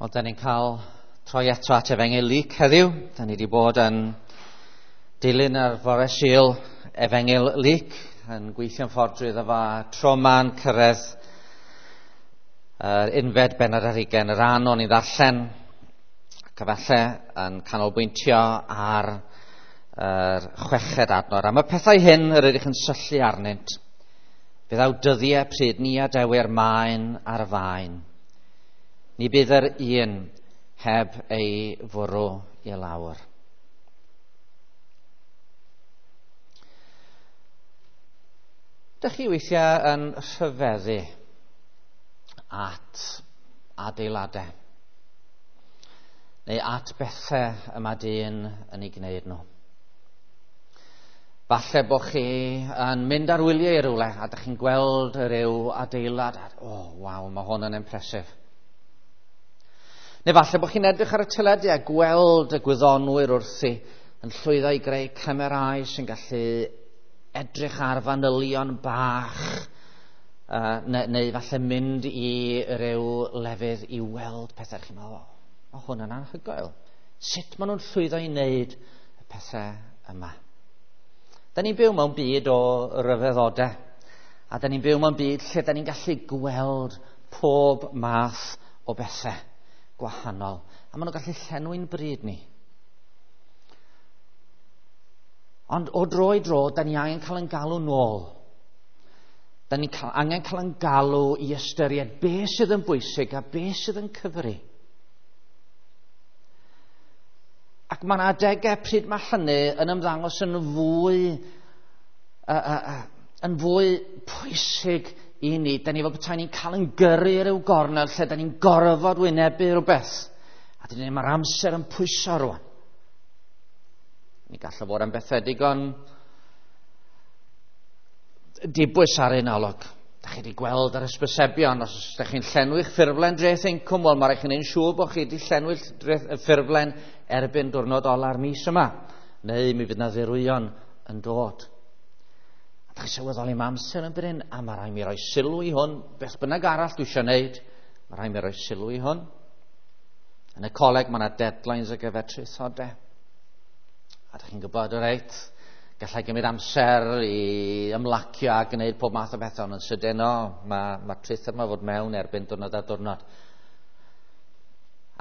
Wel, da ni'n cael troi eto at Efengyl Luc heddiw. Da ni wedi bod yn dilyn ar fore Sul Efengyl Luc, yn gweithio'n ffordd drwyddo fo tro ma'n cyrraedd yr unfed bennod ar hugain, yr an o'n i ddarllen, ac efallai yn canolbwyntio ar yr chweched adnod. Am y pethau hyn yr ydych yn syllu arnynt, fe ddaw dyddiau pryd ni adewir maen ar faen. Ni bydd yr un heb ei fwrw i lawr. Dych chi weithiau yn rhyfeddu at adeiladau neu at bethau y mae dyn yn ei gwneud nhw? Falle bod chi yn mynd ar wyliau i rywle a dych chi'n gweld rhyw adeilad a, oh, waw, mae hwn yn impressive. Neu falle bod chi'n edrych ar y teledu a gweld y gwyddonwyr wrthi yn llwyddo i greu camerâu sy'n gallu edrych ar fanylion bach, neu falle mynd i ryw lefydd i weld pethau. Chi'n meddwl, oh, hwn yn anhygoel. Sut maen nhw'n llwyddo i wneud y pethau yma? Da ni'n byw mewn byd o ryfeddodau, a da ni'n byw mewn byd lle da ni'n gallu gweld pob math o bethau gwahanol, a maen nhw'n gallu llenwi'n bryd ni. Ond o dro i dro, da ni angen cael yn galw nôl. Da ni angen cael yn galw i ystyried be sydd yn bwysig a be sydd yn cyfri. Ac mae yna adegau pryd mae hynny yn ymddangos yn fwy pwysig i ni. Da ni fel petai ni'n cael yn gyrru ryw gornel lle da ni'n gorfod wynebu rhywbeth. A dyn ni, mae'r amser yn pwyso rwan. Ni gallai fod am bethau digon dibwys ar un olwg. Da chi wedi gweld yr hysbysebion, os ydych chi'n llenwi'ch ffurflen dreth incwm, wel mae rhaid chi'n siŵr bod chi wedi llenwi'ch ffurflen erbyn diwrnod ola'r mis yma. Neu mi fydd na ddirwyon yn dod. A da chi sylweddoli mae amser yn brin, a mae rhaid mi roi sylw i hwn, beth bynnag arall dwi eisiau gwneud, mae rhaid mi roi sylw i hwn. Yn y coleg mae yna deadlines ar gyfer traethodau. A da chi'n gwybod, reit, gallai gymryd amser i ymlacio a gwneud pob math o bethau, ond yn sydyn, o, mae traethod yma fod mewn erbyn diwrnod a diwrnod.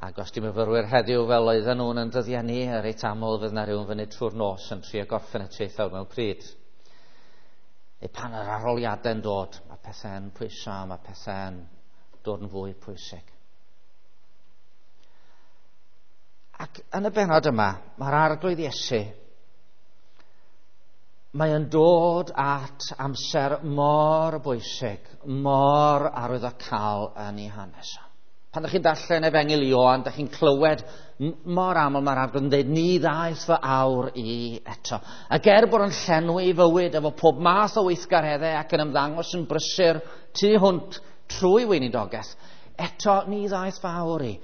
Ac os di myfyrwyr heddiw fel oedden nhw'n yn dyddiau ni, reit aml fydd na rhywun fyny trwy'r nos yn trio gorffen y traethawd mewn pryd. Neu pan yr arholiadau'n dod, mae pethau'n pwyso, mae pethau'n dod yn fwy pwysig. Ac yn y bennod yma, mae'r Arglwydd Iesu, mae yn dod at amser mor bwysig, mor arwyddocaol yn ei hanes. Pan ydych chi'n darllen Efengyl Ioan, ydych chi'n clywed mor aml mae'r Arglwydd yn dweud, ni ddaeth fy awr i eto. Ac er bod yn llenwi ei fywyd efo pob math o weithgareddau ac yn ymddangos yn brysur tu hwnt trwy weinidogaeth, eto ni ddaeth fy awr i.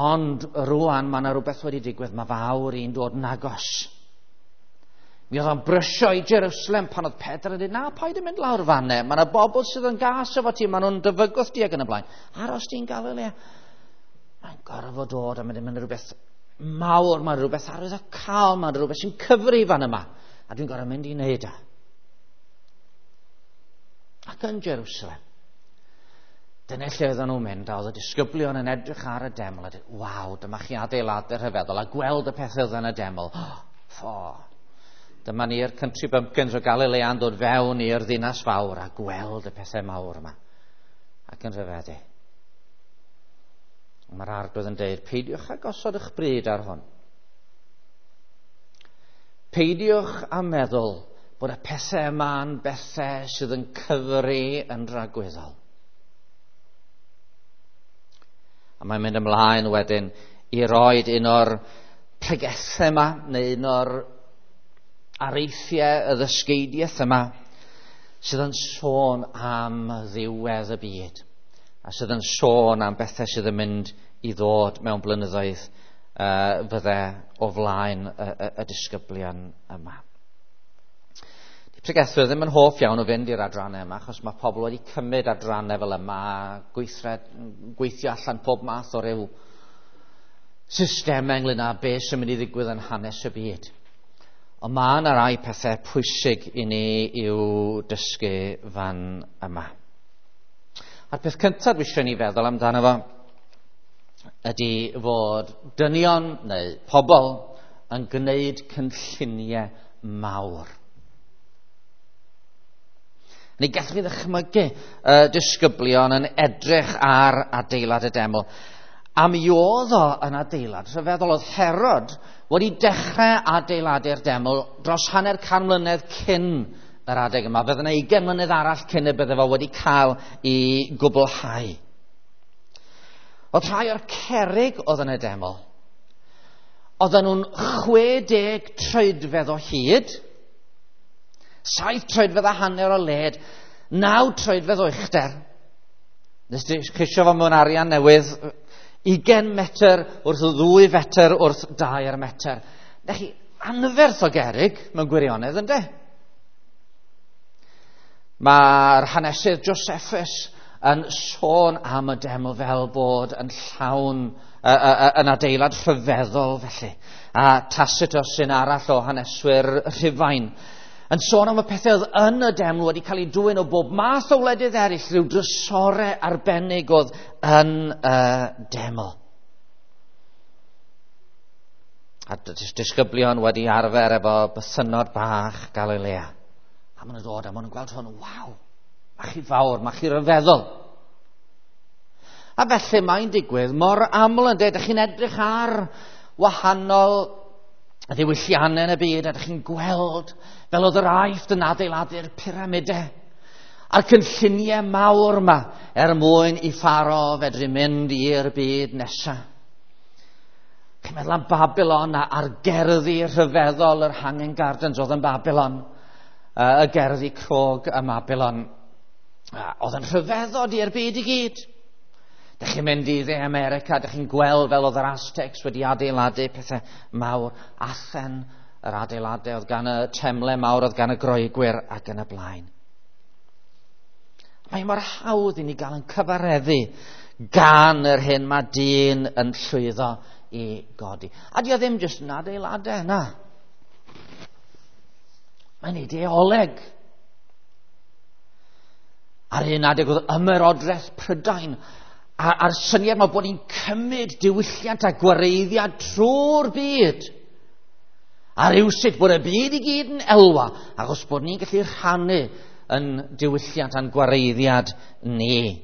Ond rwan mae yna rhywbeth wedi digwydd, mae fy awr i'n dod yn agos. Mi oedd o'n brysio i Jerusalem pan oedd Pedr yn dweud, na, paid yn mynd lawr fanne. Mae yna bobl sydd yn gas efo ti, maen nhw'n dyfygwth di ac yn y blaen. Aros di'n Galilea. Mae'n gorfod dod a mae'n mynd rhywbeth mawr, mae'n rhywbeth arwyddocaol, mae'n rhywbeth sy'n cyfri fan yma. A dwi'n gorfod mynd i wneud e. Ac yn Jerusalem, dyna lle oedden nhw'n mynd, a oedd y disgyblion yn edrych ar y deml a dweud, waw, dyma chi adeiladau rhyfeddol, a gweld y pethau oedd yn y deml. Ffo! Dyma ni'r country bumpkins o Galilea'n dod fewn i'r ddinas fawr a gweld y pethau mawr yma. Ac yn rhyfeddu. Mae'r Arglwydd yn dweud, peidiwch â gosod eich bryd ar hwn. Peidiwch â meddwl bod y pethau yma'n bethau sydd yn cyfri yn dragwyddol. A mae'n mynd ymlaen wedyn i roed un o'r pregethau yma, neu un o'r areithiau y ddysgeidiaeth yma sydd yn sôn am ddiwedd y byd a sydd yn sôn am bethau sydd yn mynd i ddod mewn blynyddoedd fydde o flaen y disgyblion yma. Di pregethwyr ddim yn hoff iawn o fynd i'r adrannau yma, achos mae pobl wedi cymryd adrannau fel yma, gweithio allan pob math o ryw systemau ynglyn â beth sy'n mynd i ddigwydd yn hanes y byd. Ond mae yna rai pethau pwysig i ni i'w dysgu fan yma. A'r peth cyntaf dwi eisiau ni feddwl amdano fo ydy fod dynion neu pobl yn gwneud cynlluniau mawr. Neu gallwch chi ddychmygu y disgyblion yn edrych ar adeilad y deml. A mi oedd o yn adeilad rhyfeddol. Oedd Herod wedi dechrau adeiladu'r deml dros 500 mlynedd cyn yr adeg yma. Fydde yna 20 mlynedd arall cyn y bydde fo wedi cael ei gwblhau. Oedd rhai o'r cerrig oedd yn y deml, oedden nhw'n 60 troedfedd o hyd, 7 troedfedd a hanner o led, 9 troedfedd o uchder. Nes di ceisio fo mewn arian newydd, 20 metr wrth 2 fetr wrth 2 metr. Na chi, anferth o gerrig mewn gwirionedd, ynde? Mae'r hanesydd Josephus yn sôn am y deml fel bod yn llawn, yn adeilad rhyfeddol felly. A Tacitus sy'n arall o haneswyr Rhufain yn sôn am y pethau oedd yn y deml wedi cael ei dwyn o bob math o wledydd eraill, rhyw drysore arbennig oedd yn y deml. A disgyblion wedi arfer efo bythynnod bach Galilea. A maen nhw'n dod a maen nhw'n gweld hwn, waw, mae chi fawr, mae chi ryfeddol. A felly mae'n digwydd mor aml yn dweud, ydych chi'n edrych ar wahanol ddiwylliannau yn y byd, a ydych chi'n gweld fel oedd yr Aifft yn adeiladu'r pyramidau a'r cynlluniau mawr yma er mwyn i Pharo fedru mynd i'r byd nesaf. Chi'n meddwl am Babylon a'r gerddi rhyfeddol yr Hanging Gardens oedd yn Babylon, y gerddi crog ym Babylon. Oedd yn rhyfeddod i'r byd i gyd. Dych chi'n mynd i Dde America, dych chi'n gweld fel oedd yr Aztecs wedi adeiladu pethau mawr. Athen, yr adeiladau oedd gan y temle mawr, oedd gan y Groegwyr ac yn y blaen. Mae mor hawdd i ni gael yn cyfareddu gan yr hyn mae dyn yn llwyddo i godi. A di o ddim jyst yn adeiladau, na. Mae'n ideoleg. Ar un adeg oedd ymerodraeth Prydain a'r syniad yma bod ni'n cymryd diwylliant a gwareiddiad trwy'r byd. A rywsut bod y byd i gyd yn elwa, achos bod ni'n gallu rhannu yn diwylliant a'n gwareiddiad ni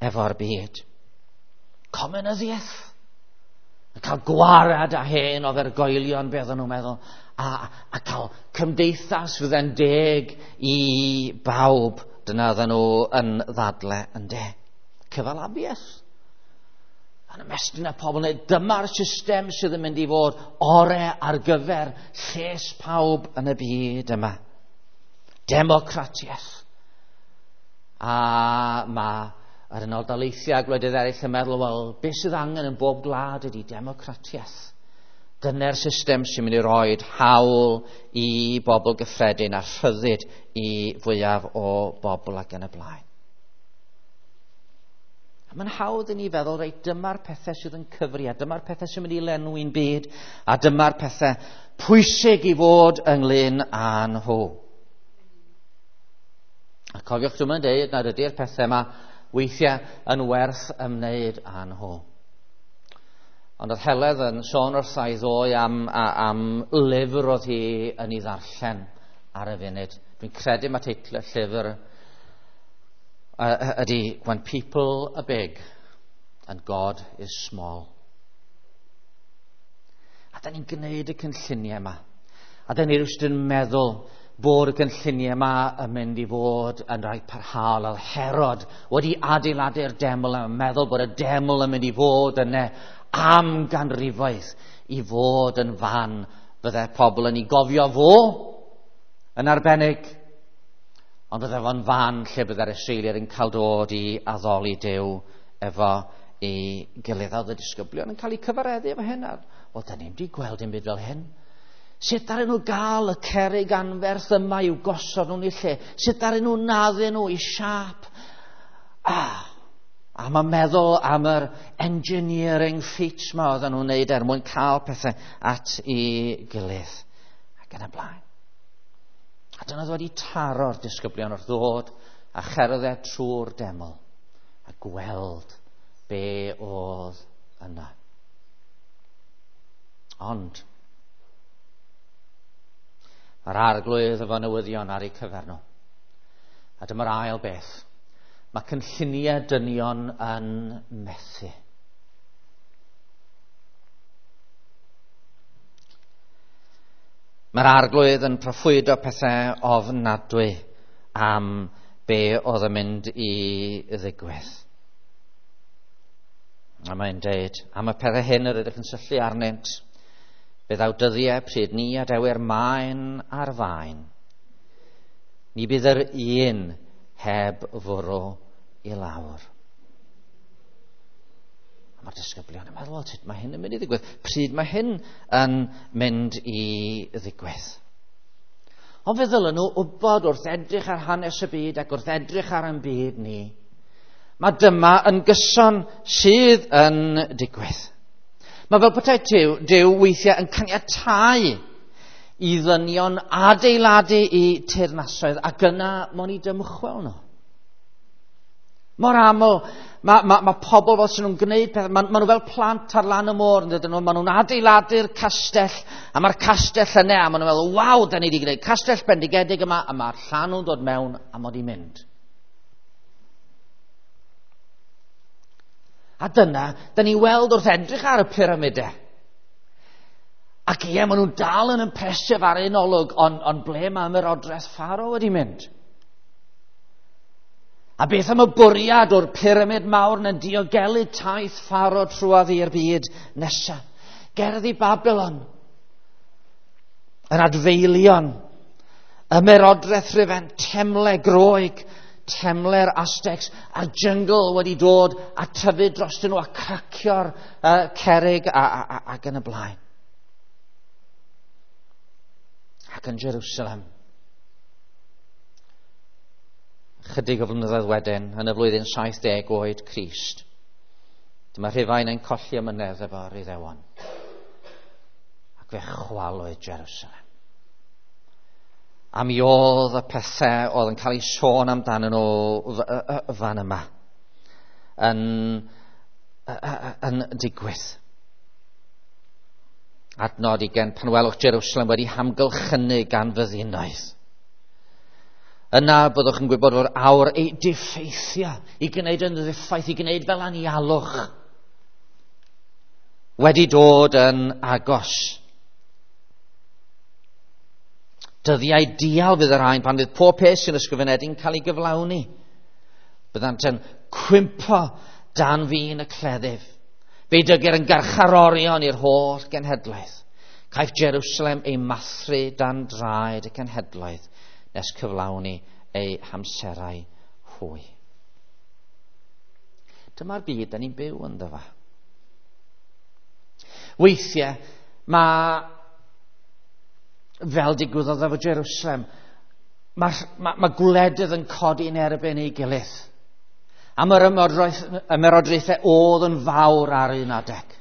efo'r byd. Comunyddiaeth. Yn cael gwarad a hen ofergoelion, beth o'n nhw'n meddwl, a cael cymdeithas fydd yn deg i bawb. Dyna oedden nhw yn ddadle yn de. Cyfalafiaeth. Yn ymestyn y pobl, neu dyma'r system sydd yn mynd i fod ore ar gyfer lles pawb yn y byd yma. Democratiaeth. A mae yr Unol Daleithiau a gwledydd eraill yn meddwl, wel, beth sydd angen yn bob gwlad ydy democratiaeth. Dyna'r system sy'n mynd i roed hawl i bobl gyffredin a rhyddid i fwyaf o bobl ac yn y blaen. A mae'n hawdd i ni feddwl, reit, dyma'r pethau sydd yn cyfri, a dyma'r pethau sy'n mynd i lenwi'n byd, a dyma'r pethau pwysig i fod ynglyn â nhw. A cofiwch, dwi'n dweud nad ydy'r pethau yma weithiau yn werth ymwneud â nhw. Ond oedd Heledd yn sôn wrtha i ddoe am lyfr oedd hi yn ei ddarllen ar y funud. Dwi'n credu mae teitl y llyfr ydy When People Are Big and God is Small. A da ni'n gwneud y cynlluniau yma. A da ni rywsut yn meddwl bod y cynlluniau yma yn mynd i fod yn rhai parhaol. Oedd Herod wedi adeiladu'r deml a meddwl bod y deml yn mynd i fod yna am ganrifoedd i fod yn fan fydde pobl yn ei gofio fo yn arbennig, ond fydde fo'n fan lle bydde'r Israeliaid yn cael dod i addoli Duw efo ei gilydd. Oedd y disgyblion yn cael eu cyfareddu efo hyn. Wel, da ni'n wedi gweld dim byd fel hyn. Sut ddaru nhw gael y cerrig anferth yma i'w gosod nhw'n eu lle? Sut ddaru nhw naddu nhw i siâp? A mae meddwl am yr engineering feats ma oedden nhw'n wneud er mwyn cael pethau at ei gilydd. Ac yn y blaen. A dyna ddod i taro'r disgyblion wrth ddod a cherdded trwy'r deml a gweld be oedd yna. Ond mae'r Arglwydd efo newyddion ar eu cyfer nhw. A dyma'r ail beth. Mae cynlluniau dynion yn methu. Mae'r Arglwydd yn proffwydo pethau ofnadwy am be oedd yn mynd i ddigwydd. A mae'n deud, am y pethau hyn yr ydych yn syllu arnynt, fe ddaw dyddiau pryd ni adewir maen ar faen. Ni bydd yr un heb fwrw i lawr. A mae'r disgyblion yn meddwl, sut mae hyn yn mynd i ddigwydd? Pryd mae hyn yn mynd i ddigwydd? Ond fe ddylen nhw wybod wrth edrych ar hanes y byd ac wrth edrych ar ein byd ni, mae dyma yn gyson sydd yn digwydd. Mae fel petai Duw weithiau yn caniatáu i ddynion adeiladu i teyrnasoedd ac yna mo'n i dymchwel nhw. Mor aml, mae pobl fel sy'n nhw'n gwneud pethau, ma nhw fel plant ar lan y môr, yn dydyn nhw, ma nhw'n adeiladu'r castell, a mae'r castell yna, a ma nhw'n meddwl, waw, da ni wedi gwneud castell bendigedig yma, a mae'r llanw'n dod mewn, a mod i mynd. A dyna, da ni weld wrth edrych ar y pyramidau. Ac ie, maen nhw'n dal yn impressive ar un olwg, ond ble mae ymerodraeth Pharaoh wedi mynd? A beth am y bwriad o'r pyramid mawr yn diogelu taith Pharaoh trwodd i'r byd nesaf? Gerddi Babylon, yr adfeilion, ymerodraeth Rhufain, temle Groeg, temle'r Aztecs, a'r jyngl wedi dod a tyfu drostyn nhw a cracio'r cerrig ac yn y blaen. Ac yn Jerusalem, chydig o flynyddoedd wedyn, yn y flwyddyn 70 oed Crist, dyma Rhufain yn colli amynedd efo'r Iddewon. Ac fe chwalwyd Jerusalem. A mi oedd y pethau oedd yn cael eu sôn amdanyn nhw fan yma yn digwydd. Adnod 20, pan welwch Jerusalem wedi hamgylchynu gan fyddinoedd. Yna byddwch yn gwybod fod awr ei diffeithio, i gwneud yn ddiffaith, i gwneud fel anialwch, wedi dod yn agos. Dyddiau dial fydd y rhain pan fydd pob peth sy'n ysgrifenedig yn cael ei gyflawni. Byddant yn cwympo dan fin y cleddyf. Fe dygir yn garcharorion i'r holl genhedlaeth. Caiff Jerusalem ei mathru dan draed y cenhedlaeth nes cyflawni ei hamserau hwy. Dyma'r byd da ni'n byw ynddo fo. Weithiau mae, fel digwyddodd efo Jerusalem, mae gwledydd yn codi yn erbyn ei gilydd. A mae'r ymerodraethau oedd yn fawr ar un adeg.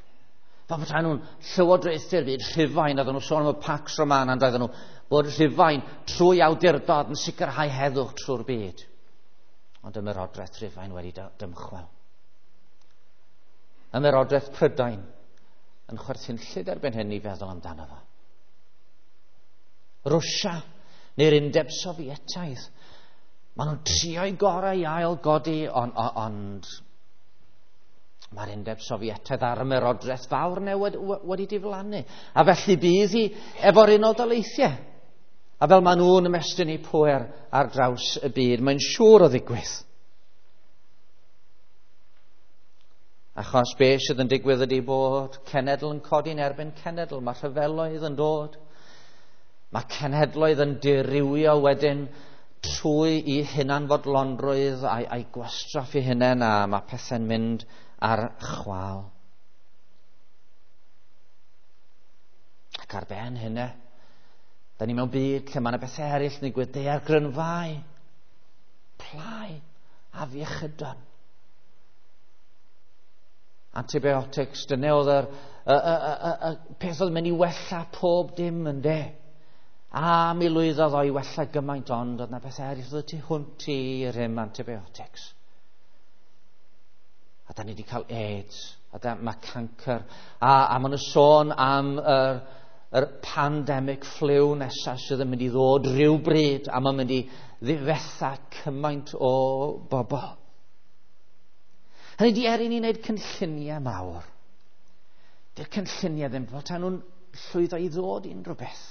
Fel petai nhw'n llywodraethu'r byd, Rhufain, oedden nhw'n sôn am y Pax Romana, ond oedden nhw bod Rhufain trwy awdurdod yn sicrhau heddwch trwy'r byd. Ond ymerodraeth Rhufain wedi dymchwel. Ymerodraeth Prydain yn chwerthinllyd erbyn hyn i feddwl amdano fo. Rwsia neu'r Undeb Sofietaidd, maen nhw'n trio'i gorau i ail godi, ond mae'r Undeb Sofietaidd a'r ymerodraeth fawr newydd wedi diflannu. A felly bydd hi efo'r Unol Daleithiau. A fel maen nhw'n ymestyn eu pŵer ar draws y byd, mae'n siŵr o ddigwydd. Achos be sydd yn digwydd ydy bod cenedl yn codi'n erbyn cenedl, mae rhyfeloedd yn dod. Mae cenhedloedd yn dirywio wedyn trwy i hunanfodlonrwydd a'i gwastraff eu hunain, a mae pethau'n mynd ar chwâl. Ac ar ben hynny, da ni mewn byd lle mae yna bethau eraill yn digwydd, daeargrynfâu, plâu, afiechydon. Antibiotics, dyna oedd yr y peth oedd yn mynd i wella pob dim yn de. A mi lwyddodd o i wella gymaint ond oedd na beth eraill oedd tu hwnt i rym antibiotics. A da ni wedi cael AIDS, a da, mae cancer, a maen nhw sôn am yr pandemic flu nesaf sydd yn mynd i ddod rhyw bryd, a mae'n mynd i ddifetha cymaint o bobl. Hynny di er i ni wneud cynlluniau mawr. Dy'r cynlluniau ddim fel tan nhw'n llwyddo i ddod i unrhyw beth.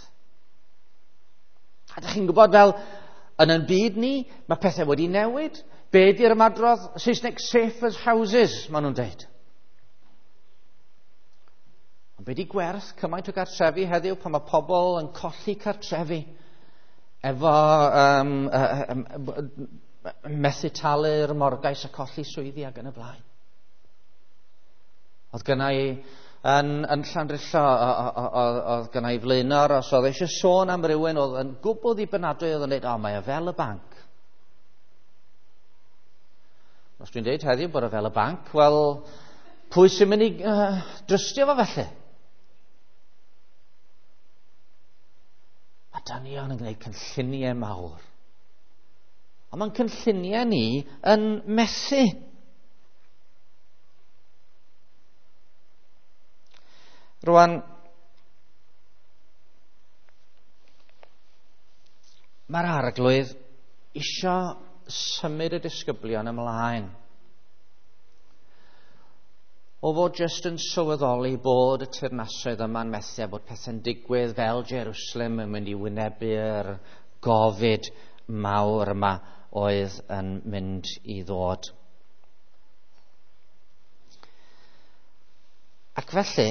A dych chi'n gwybod fel yn ein byd ni, mae pethau wedi newid. Be di'r ymadrodd Saesneg safe as houses, maen nhw'n deud. Ond be di gwerth cymaint o gartrefi heddiw pan mae pobl yn colli cartrefi efo methu talu'r morgais a colli swyddi ac yn y blaen. Oedd gynna i yn Llandrillo, oedd gynna i flaenor, os oedd eisiau sôn am rywun oedd yn gwbl ddibynadwy, oedd yn dweud, o, mae o fel y banc. Os dwi'n dweud heddiw bod o fel y banc, wel, pwy sy'n mynd i drystio fo felly? Mae dynion yn gwneud cynlluniau mawr. Ond mae'n cynlluniau ni yn methu. Rwan, mae'r arglwydd isio symud y disgyblion ymlaen. O fod jyst yn sylweddoli bod y teyrnasoedd yma'n methu a bod pethau'n digwydd fel Jerusalem yn mynd i wynebu'r gofid mawr yma oedd yn mynd i ddod. Ac felly,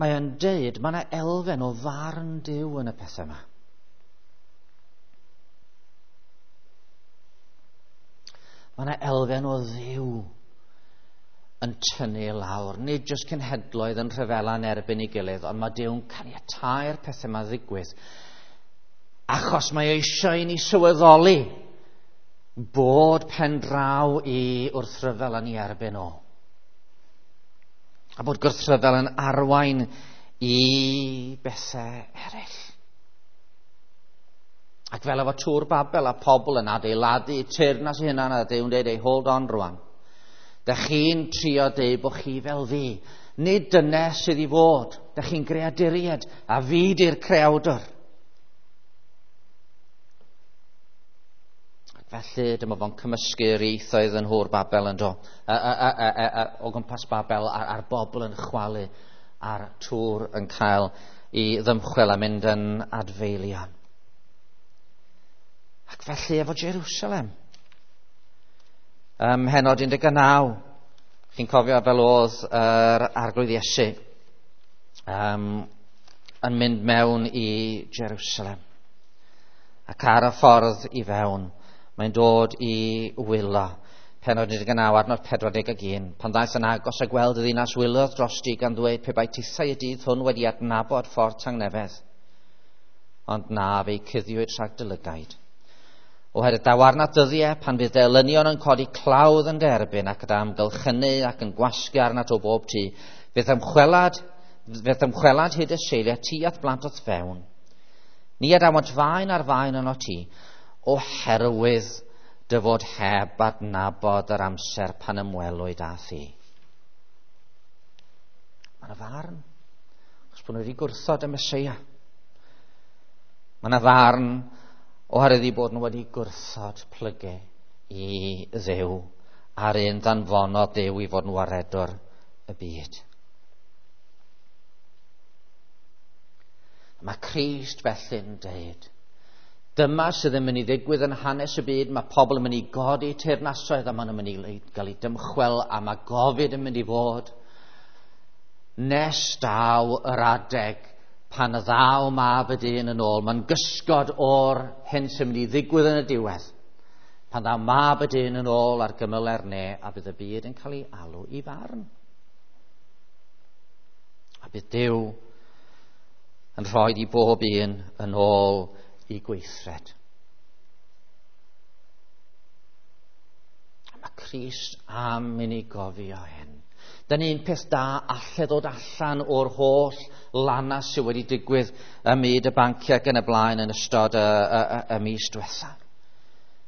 mae o'n deud, mae yna elfen o farn Duw yn y pethau yma. Mae yna elfen o Dduw yn tynnu lawr. Nid jyst cenhedloedd yn rhyfela yn erbyn ei gilydd, ond mae Duw'n caniatáu'r pethau yma ddigwydd. Achos mae eisiau i ni sylweddoli bod pen draw i wrthryfel yn ei erbyn o. A bod gwrthryfel yn arwain i bethau eraill. Ac fel efo Tŵr Babel a pobl yn adeiladu teyrnas eu hunan a Duw'n dweud, ei hold on rwan. Dych chi'n trio deud bod chi fel fi. Nid dyna sydd i fod. Dych chi'n greaduriaid a fi di'r creawdwr. Ac felly dyma fo'n cymysgu'r ieithoedd yn Nhŵr Babel yn do. O gwmpas Babel a'r bobl yn chwalu a'r tŵr yn cael ei ddymchwel a mynd yn adfeilion. Ac felly efo Jerusalem. Mhenod 19, chi'n cofio fel oedd yr Arglwydd Iesu yn mynd mewn i Jerusalem. Ac ar y ffordd i fewn, mae'n dod i wylo. Penod 19, adnod 41. Pan ddaeth yn agos a gweld y ddinas wylodd drosti gan ddweud pe bai tithau y dydd hwn wedi adnabod ffordd tangnefedd. Ond na, fe'i cuddiwyd rhag dy lygaid. Oherwydd daw arnat dyddiau pan fydd dy elynion yn codi clawdd yn derbyn ac yn amgylchynu ac yn gwasgu arnat o bob tu, fydd ymchwelad hyd y seiliau ti at blant o'th fewn. Ni adawant faen ar faen yno ti, oherwydd dy fod heb adnabod yr amser pan ymwelwyd â thi. Mae yna farn, achos bod nhw wedi gwrthod y Meseia. Mae yna farn oherwydd i bod nhw wedi gwrthod plygu i Dduw a'r un ddanfonodd Duw i fod yn waredwr y byd. Mae Crist felly'n deud, dyma sydd yn mynd i ddigwydd yn hanes y byd, mae pobl yn mynd i godi teyrnasoedd a maen nhw'n mynd i gael eu dymchwel a mae gofid yn mynd i fod nes daw yr adeg pan y ddaw mab y dyn yn ôl. Mae'n gysgod o'r hyn sy'n mynd i ddigwydd yn y diwedd. Pan ddaw mab y dyn yn ôl ar gymyle'r ne a bydd y byd yn cael ei alw i farn. A bydd Duw yn rhoi i bob un yn ôl i gweithred. A mae Crist am i ni gofio hyn. Dyna un peth da alle ddod allan o'r holl lanas sydd wedi digwydd ym myd y banciau ac yn y blaen yn ystod y mis diwetha.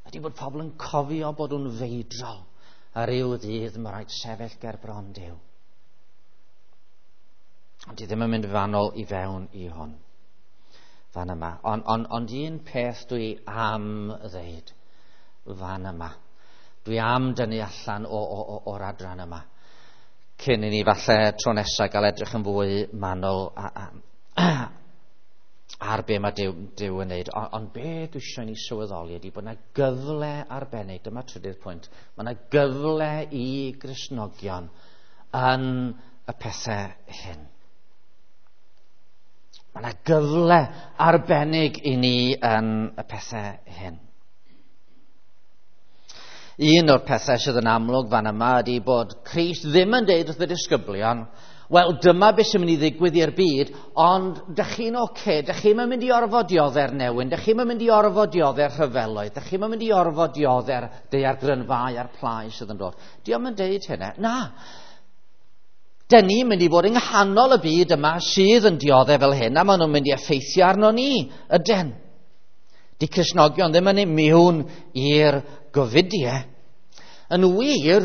Ydy bod pobl yn cofio bod nhw'n feidrol ar ryw ddydd mae rhaid sefyll ger bron Duw. Ond di ddim yn mynd fanol i fewn i hwn fan yma. Ond un peth dwi am ddeud fan yma. Dwi am dynnu allan o'r adran yma. Cyn i ni falle tro nesaf gael edrych yn fwy manwl ar be mae Duw yn neud. Ond be dwi eisiau ni sylweddoli ydy bod yna gyfle arbennig, dyma trydydd pwynt, mae yna gyfle i Gristnogion yn y pethau hyn. Mae yna gyfle arbennig i ni yn y pethau hyn. Un o'r pethau sydd yn amlwg fan yma ydy bod Crist ddim yn deud wrth y disgyblion, wel, dyma beth sy'n mynd i ddigwydd i'r byd, ond dych chi'n oce, dych chi'm yn mynd i orfod diodde'r newyn, dych chi'm yn mynd i orfod diodde'r rhyfeloedd, dych chi'm yn mynd i orfod dioddau'r daeargrynfâu a'r plâu sydd yn dod. Dio'm yn deud hynna. Na. Dyn ni'n mynd i fod yng nghanol y byd yma sydd yn dioddef fel hyn, a maen nhw'n mynd i effeithio arno ni, ydyn. Di Cristnogion ddim yn immune i'r gofidiau. Yn wir,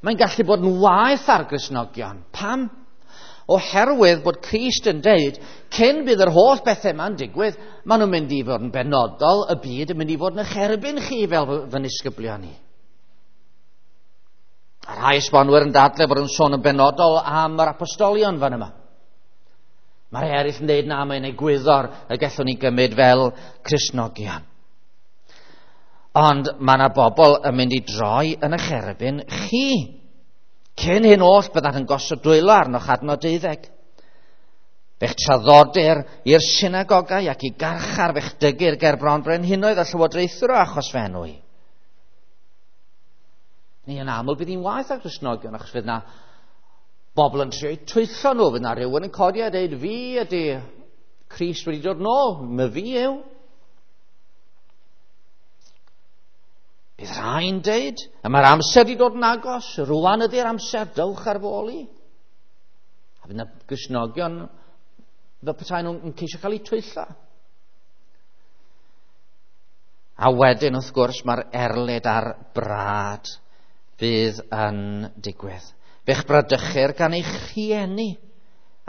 mae'n gallu bod yn waeth ar Gristnogion. Pam? Oherwydd bod Crist yn deud, cyn bydd yr holl bethau yma'n digwydd, maen nhw'n mynd i fod yn benodol, y byd yn mynd i fod yn eich erbyn chi fel fy nisgyblion ni. A rhai esbonwyr yn dadlau bod yn sôn yn benodol am yr apostolion fan yma. Mae rhai eraill yn deud na, mae'n egwyddor y gallwn ni gymryd fel Cristnogion. Ond mae yna bobl yn mynd i droi yn eich erbyn chi. Cyn hyn oll byddant yn gosod dwylo arnoch adnod 12. Fe'ch traddodir i'r synagogau ac i garchar, fe'ch dygir ger bron brenhinoedd a llywodraethwyr o achos fy enw i. Ni yn aml bydd hi'n waeth ar Gristnogion, achos fydd yna bobl yn trio twyllo nhw, fydd yna rhywun yn codi a dweud, fi ydy Crist wedi dod nôl, my fi yw. Bydd rhai'n deud, a mae'r amser wedi dod yn agos, rwan ydy'r amser, dewch ar fy ôl i. A fydd yna Gristnogion fel petai nhw'n ceisio cael eu twyllo. A wedyn, wrth gwrs, mae'r erlid a'r brad fydd yn digwydd. Fe'ch bradychir gan eich rhieni,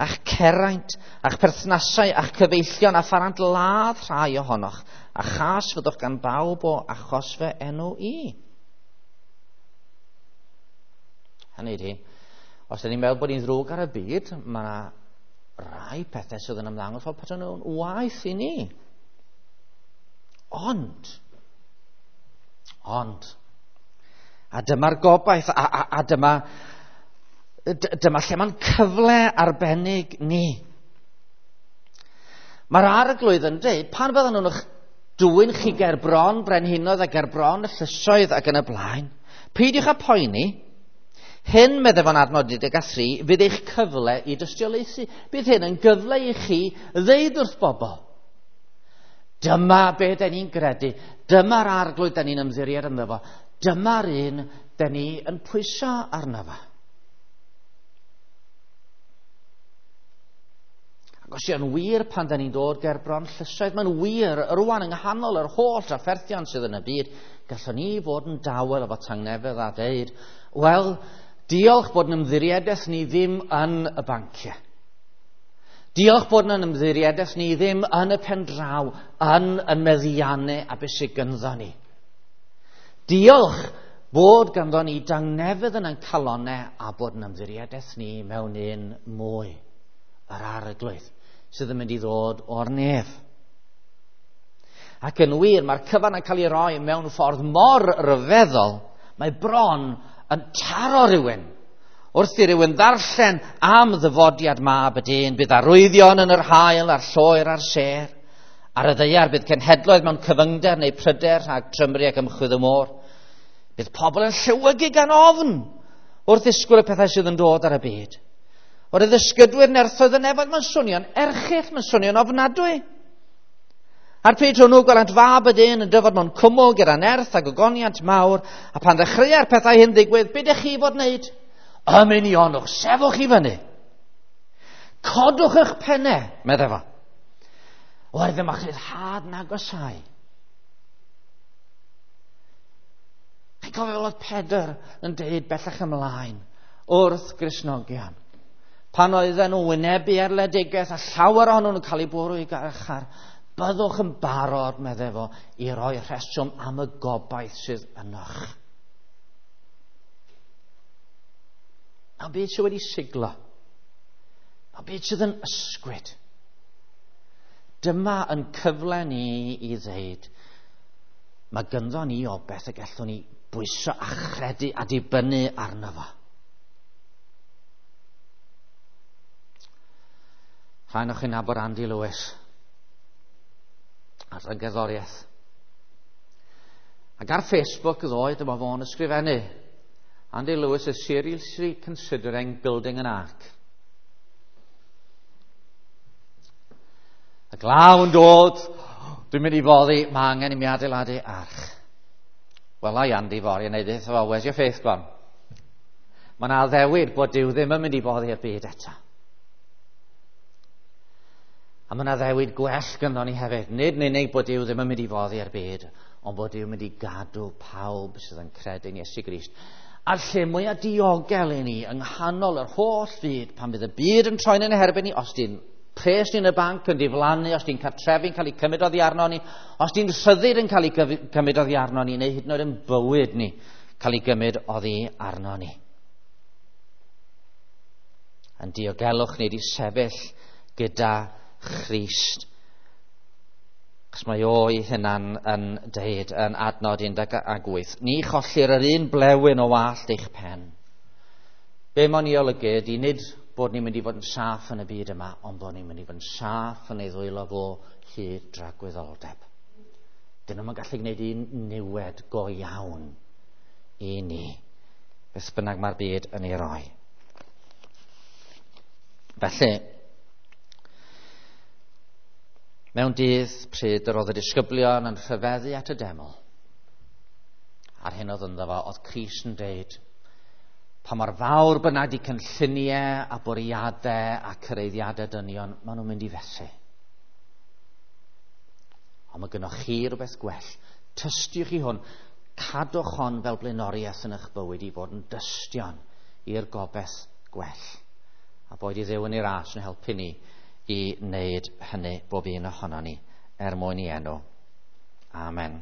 a'ch ceraint, a'ch perthnasau, a'ch cyfeillion, a pharant ladd rhai ohonoch, a chas fyddwch gan bawb o achos fy enw i. Hynny ydi, os ydyn ni'n meddwl bod ni'n ddrwg ar y byd, mae yna rai pethau sydd yn ymddangos fel petai nhw'n waeth i ni. Ond, a dyma'r gobaith, a dyma lle mae'n cyfle arbennig ni. Mae'r arglwydd yn dweud, pan fyddan nhw'n eich dwyn chi ger bron brenhinoedd a ger bron y llysoedd ac yn y blaen, peidiwch â poeni, hyn, meddai fo'n adnod 13, fydd eich cyfle i dystiolaethu. Bydd hyn yn gyfle i chi ddeud wrth bobl, dyma be da ni'n gredu, dyma'r arglwydd da ni'n ymddiried ynddo fo, dyma'r un da ni yn pwyso arno fo. Ac os yw'n wir pan da ni'n dod ger bron llysoedd, mae'n wir rwan yng nghanol yr holl drafferthion sydd yn y byd, gallwn ni fod yn dawel efo tangnefedd a deud, wel, diolch bod yn ymddiriedaeth ni ddim yn y banciau. Diolch bod yn ymddiriedaeth ni ddim yn y pendraw, yn y meddiannau a beth sydd ganddo ni. Diolch bod ganddo ni dangnefedd yn ein calonnau a bod yn ymddiriedaeth ni mewn un mwy, yr arglwydd, sydd yn mynd i ddod o'r nef. Ac yn wir, mae'r cyfan yn cael ei roi mewn ffordd mor ryfeddol, mae bron yn taro rhywun. Wrth i rywun ddarllen am ddyfodiad mab y dyn, bydd arwyddion yn yr haul a'r lloer a'r sêr. Ar y ddaear bydd cenhedloedd mewn cyfyngder neu pryder rhag trymru ac ymchwydd y môr. Bydd pobl yn llewygu gan ofn wrth ddisgwyl y pethau sydd yn dod ar y byd. O'r ddysgydwyr nerthoedd y nefoedd, mae'n swnio'n erchyll, mae'n swnio'n ofnadwy. A'r pryd hwnnw gwelant Fab y Dyn yn dyfod mewn cwmwl gyda nerth ac ogoniant mawr, a pan ddechreua'r pethau hyn ddigwydd, be dych chi fod wneud? Ymunionwch, sefwch i fyny. Codwch eich pennau, meddai fo. Oherwydd dyma rhyddhad yn agosáu. Chi'n cofio fel oedd Pedr yn deud bellach ymlaen wrth Gristnogion. Pan oedden nhw wynebu erledigaeth a llawer ohonyn nhw'n cael eu bwrw i garchar, byddwch yn barod, meddai fo, i roi rheswm am y gobaith sydd ynoch. Mae'n byd sydd wedi siglo. Mae'n byd sydd yn ysgwyd. Dyma yn cyfle ni i ddeud, mae gynddo ni obaith y gallwn ni bwyso a chredu a dibynnu arno fo. Rhaid o'ch chi'n nabod Andy Lewis ar y gerddoriaeth. Ac ar Facebook ddoe, dyma fo'n ysgrifennu, Andy Lewis is seriously considering building an ark. Y glaw yn dod, dwi'n mynd i foddi, mae angen i mi adeiladu arch. Wel, ai Andy fory yn neud eitha fo, where's your faith gone? Mae yna addewid bod Duw ddim yn mynd i boddi i'r byd eto. A mae yna addewid gwell ganddo ni hefyd. Nid yn unig bod Duw ddim yn mynd i foddi i'r byd, ond bod Duw yn mynd i gadw pawb sydd yn credu'n Iesu Grist. A'r lle mwyaf diogel i ni yng nghanol yr holl fyd, pan fydd y byd yn troi'n ein herbyn ni, os di'n pres ni yn y banc yn diflannu, os di'n cartrefi'n cael ei cymryd oddi arno ni, os di'n rhyddid yn cael ei cymryd oddi arno ni, neu hyd yn oed yn bywyd ni cael ei gymryd oddi arno ni. Yn diogelwch ni wedi sefyll gyda Christ. Achos mae o'i hunan yn deud yn adnod 18, ni chollir yr un blewyn o wallt eich pen. Be mae'n ei olygu ydy nid bod ni'n mynd i fod yn saff yn y byd yma, ond bod ni'n mynd i fod yn saff yn ei ddwylo fo hyd dragwyddoldeb. Dyn nhw'n gallu gwneud un niwed go iawn i ni, beth bynnag mae'r byd yn ei roi. Felly, mewn dydd pryd yr oedd y disgyblion yn rhyfeddu at y deml, a'r hyn oedd ynddo fo, oedd Crist yn deud, pa mor fawr bynnag di cynlluniau a bwriadau a cyreiddiadau dynion, maen nhw'n mynd i fethu. Ond mae gynnoch chi rhywbeth gwell. Tystiwch i hwn, cadwch hon fel blaenoriaeth yn eich bywyd i fod yn dystion i'r gobaith gwell. A boed i Dduw yn ei ras yn helpu ni i wneud hynny bob un ohono ni er mwyn i enw. Amen.